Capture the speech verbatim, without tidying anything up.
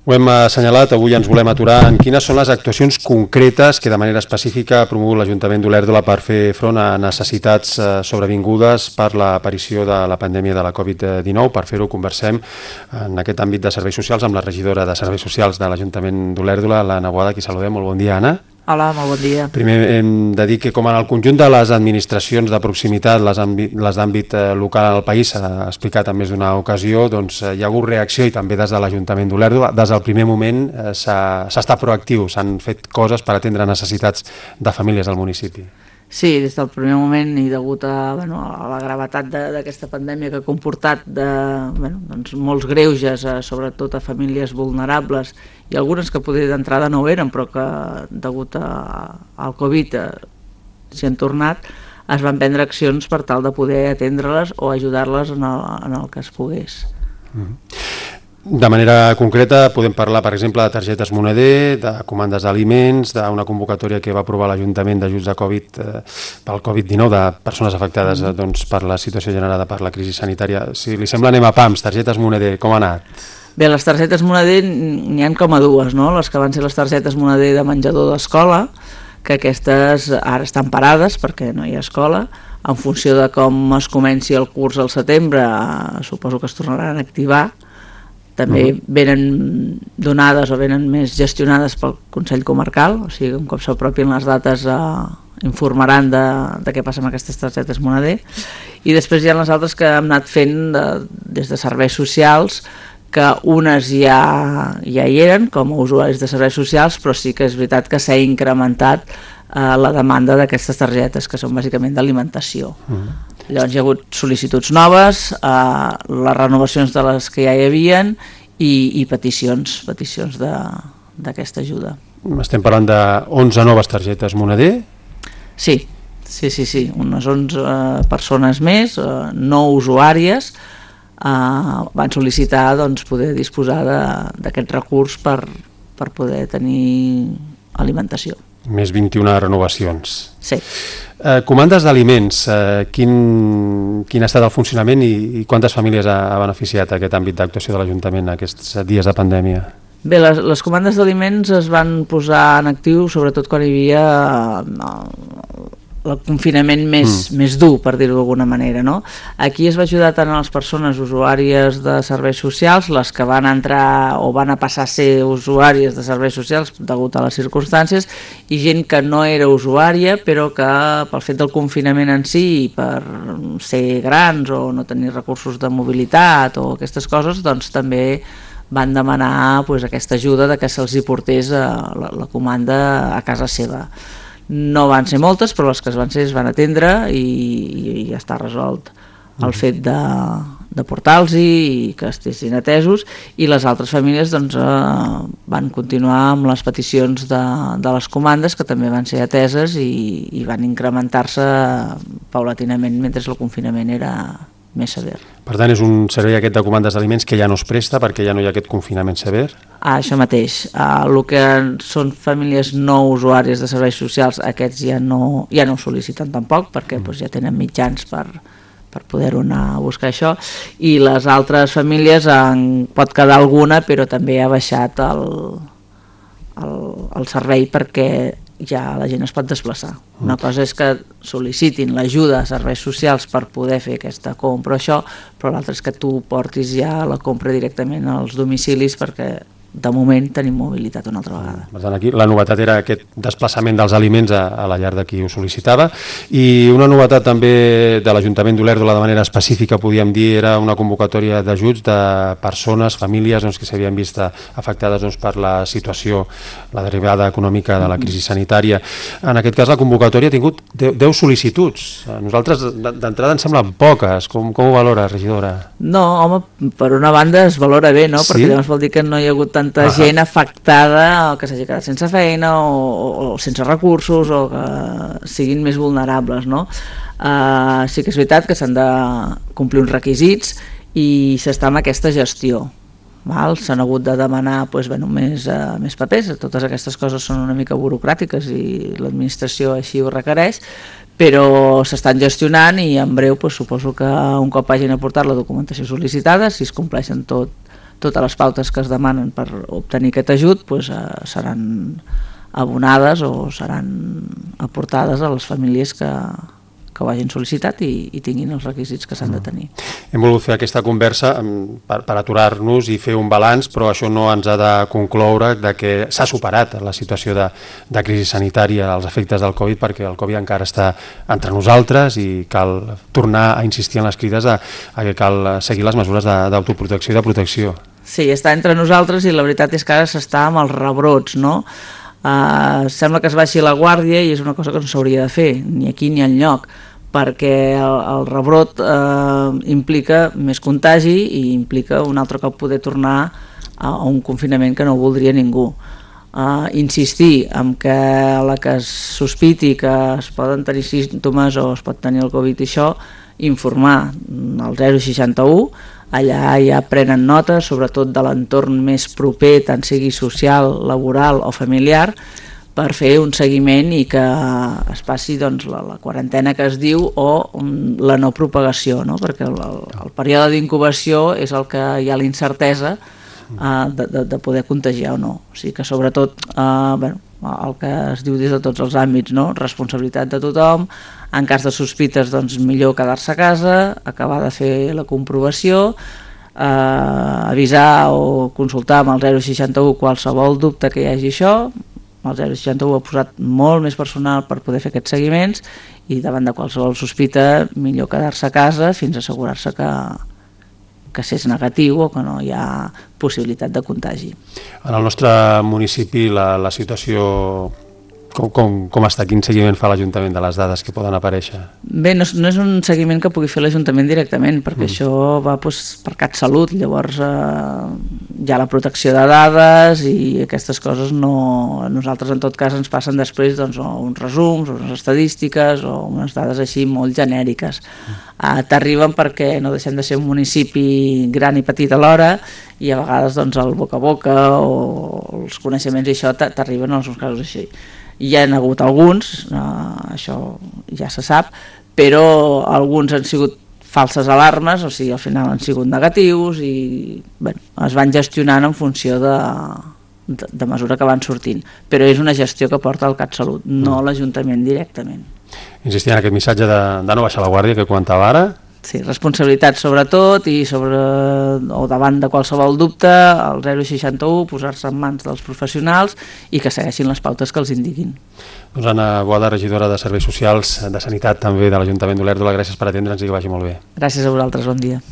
Ho hem assenyalat, avui ens volem aturar en quines són les actuacions concretes que de manera específica ha promogut l'Ajuntament d'Olèrdola per fer front a necessitats sobrevingudes per l'aparició de la pandèmia de la covid dinou. Per fer-ho conversem en aquest àmbit de serveis socials amb la regidora de Serveis Socials de l'Ajuntament d'Olèrdola, l'Anna Boada, qui saludem. Molt bon dia, Anna. Hola, molt bon dia. Primer hem de dir que com en el conjunt de les administracions de proximitat, les d'àmbit local al país, s'ha explicat en més d'una ocasió, doncs hi ha hagut reacció i també des de l'Ajuntament d'Olèrdola. Des del primer moment s'ha estat proactiu, s'han fet coses per atendre necessitats de famílies del municipi. Sí, des del primer moment i degut a, bueno, a la gravetat d'aquesta pandèmia que ha comportat de, bueno, doncs molts greuges, a, sobretot a famílies vulnerables i algunes que potser d'entrada no ho eren, però que degut a, al Covid s'hi han tornat, es van prendre accions per tal de poder atendre-les o ajudar-les en, el, en el que es pogués. Mm. De manera concreta podem parlar, per exemple, de targetes moneder, de comandes d'aliments, d'una convocatòria que va aprovar l'Ajuntament d'ajuts de Covid eh, pel covid dinou, de persones afectades eh, doncs, per la situació generada per la crisi sanitària. Si li sembla, anem a pams, targetes moneder, com ha anat? Bé, les targetes moneder n'hi ha com a dues, no? Les que van ser les targetes moneder de menjador d'escola, que aquestes ara estan parades perquè no hi ha escola. En funció de com es comenci el curs al setembre, eh, suposo que es tornaran a activar. També venen donades o venen més gestionades pel Consell Comarcal, o sigui, un cop s'apropien les dates eh, informaran de, de què passa amb aquestes targetes moneder. I després hi ha les altres que hem anat fent de, des de serveis socials, que unes ja, ja hi eren com a usuaris de serveis socials, però sí que és veritat que s'ha incrementat eh, la demanda d'aquestes targetes, que són bàsicament d'alimentació. Mm. Llavors hi ha hagut sol·licituds noves, eh, les renovacions de les que ja hi havien i, i peticions, peticions d'aquesta ajuda. Estem parlant de onze noves targetes moneder? Sí, sí, sí, sí. Unes onze eh, persones més, eh, no usuàries, eh, van sol·licitar doncs, poder disposar d'aquest recurs per, per poder tenir alimentació. Més vint-i-una renovacions. Sí. Eh, comandes d'aliments, eh, quin, quin ha estat el funcionament i, i quantes famílies ha, ha beneficiat aquest àmbit d'actuació de l'Ajuntament aquests dies de pandèmia? Bé, les, les comandes d'aliments es van posar en actiu sobretot quan hi havia eh, el confinament més, mm. més dur, per dir-ho d'alguna manera, no? Aquí es va ajudar tant a les persones usuàries de serveis socials, les que van entrar o van a passar a ser usuàries de serveis socials degut a les circumstàncies, i gent que no era usuària, però que pel fet del confinament en si, per ser grans o no tenir recursos de mobilitat o aquestes coses, doncs també van demanar pues, aquesta ajuda de que se'ls hi portés a la, la comanda a casa seva. No van ser moltes, però les que es van ser es van atendre i, i ja està resolt el fet de, de portar-los i que estiguessin atesos, i les altres famílies doncs, eh, van continuar amb les peticions de, de les comandes, que també van ser ateses i, i van incrementar-se paulatinament mentre el confinament era més sever. Per tant, és un servei aquest de comandes d'aliments que ja no es presta perquè ja no hi ha aquest confinament sever? Ah, això mateix. Ah, el que són famílies no usuàries de serveis socials, aquests ja no, ja no ho sol·liciten tampoc perquè mm. doncs, ja tenen mitjans per, per poder-ho anar a buscar això, i les altres famílies en pot quedar alguna, però també ha baixat el, el, el servei perquè ja la gent es pot desplaçar. Una cosa és que sol·licitin l'ajuda a serveis socials per poder fer aquesta compra o això, però l'altra és que tu portis ja la compra directament als domicilis perquè de moment tenim mobilitat una altra vegada. Per tant, aquí la novetat era aquest desplaçament dels aliments a, a la llar de qui ho sol·licitava, i una novetat també de l'Ajuntament d'Olèrdola de manera específica, podíem dir, era una convocatòria d'ajuts de persones, famílies doncs, que s'havien vist afectades doncs, per la situació, la derivada econòmica de la crisi sanitària. En aquest cas la convocatòria ha tingut deu sol·licituds. A nosaltres d'entrada ens semblen poques. Com, com ho valora, regidora? No, home, per una banda es valora bé, no? Perquè sí? Llavors vol dir que no hi ha hagut tanta ah. gent afectada o que s'hagi quedat sense feina o, o, o sense recursos o que siguin més vulnerables, no? Uh, sí que és veritat que s'han de complir uns requisits i s'està amb aquesta gestió. S'han hagut de demanar pues, bueno, més, uh, més papers, totes aquestes coses són una mica burocràtiques i l'administració així ho requereix, però s'estan gestionant i en breu pues, suposo que un cop hagin aportat la documentació sol·licitada, si es compleixen tot totes les pautes que es demanen per obtenir aquest ajut doncs, eh, seran abonades o seran aportades a les famílies que, que ho hagin sol·licitat i, i tinguin els requisits que s'han de tenir. Hem volgut fer aquesta conversa per, per aturar-nos i fer un balanç, però això no ens ha de concloure de que s'ha superat la situació de, de crisi sanitària, els efectes del Covid, perquè el Covid encara està entre nosaltres i cal tornar a insistir en les crides a, a que cal seguir les mesures d'autoprotecció i de protecció. Sí, està entre nosaltres i la veritat és que ara s'està amb els rebrots, no? Uh, sembla que es baixi la guàrdia i és una cosa que no s'hauria de fer, ni aquí ni enlloc, perquè el, el rebrot uh, implica més contagi i implica un altre cop poder tornar a, a un confinament que no voldria ningú. Uh, insistir en que a la que es sospiti que es poden tenir símptomes o es pot tenir el Covid i això, informar al zero seixanta u, allà ja prenen nota, sobretot de l'entorn més proper, tant sigui social, laboral o familiar, per fer un seguiment i que es passi doncs, la, la quarantena que es diu o um, la no propagació, no? Perquè el, el, el període d'incubació és el que hi ha la incertesa uh, de, de, de poder contagiar o no. O sigui que sobretot uh, bueno, el que es diu des de tots els àmbits, no? Responsabilitat de tothom, en cas de sospites doncs millor quedar-se a casa, acabar de fer la comprovació, eh, avisar o consultar amb el zero seixanta u qualsevol dubte que hi hagi això. El zero seixanta u ha posat molt més personal per poder fer aquests seguiments i davant de qualsevol sospita millor quedar-se a casa fins a assegurar-se que, que s'és negatiu o que no hi ha possibilitat de contagi. En el nostre municipi la, la situació com, com, com està? Quin seguiment fa l'Ajuntament de les dades que poden aparèixer? Bé, no, no és un seguiment que pugui fer l'Ajuntament directament, perquè mm. això va doncs, per CatSalut, llavors eh, hi ha la protecció de dades i aquestes coses no... Nosaltres en tot cas ens passen després doncs, uns resums, unes estadístiques o unes dades així molt genèriques. Mm. Uh, t'arriben perquè no deixem de ser un municipi gran i petit alhora i a vegades doncs, el boca a boca o els coneixements i això t'arriben en alguns casos així. Hi ha hagut alguns, uh, això ja se sap, però alguns han sigut falses alarmes, o sigui, al final han sigut negatius i bueno, es van gestionant en funció de, de, de mesura que van sortint. Però és una gestió que porta el CatSalut, no l'Ajuntament directament. Insistir en aquest missatge de, de no baixar la guàrdia que comentava ara. Sí, responsabilitat sobretot i sobre, o davant de qualsevol dubte, el zero seixanta u, posar-se en mans dels professionals i que segueixin les pautes que els indiquin. Doncs Anna Boada, regidora de Serveis Socials, de Sanitat també de l'Ajuntament d'Olèrdola, gràcies per atendre'ns i que vagi molt bé. Gràcies a vosaltres, bon dia.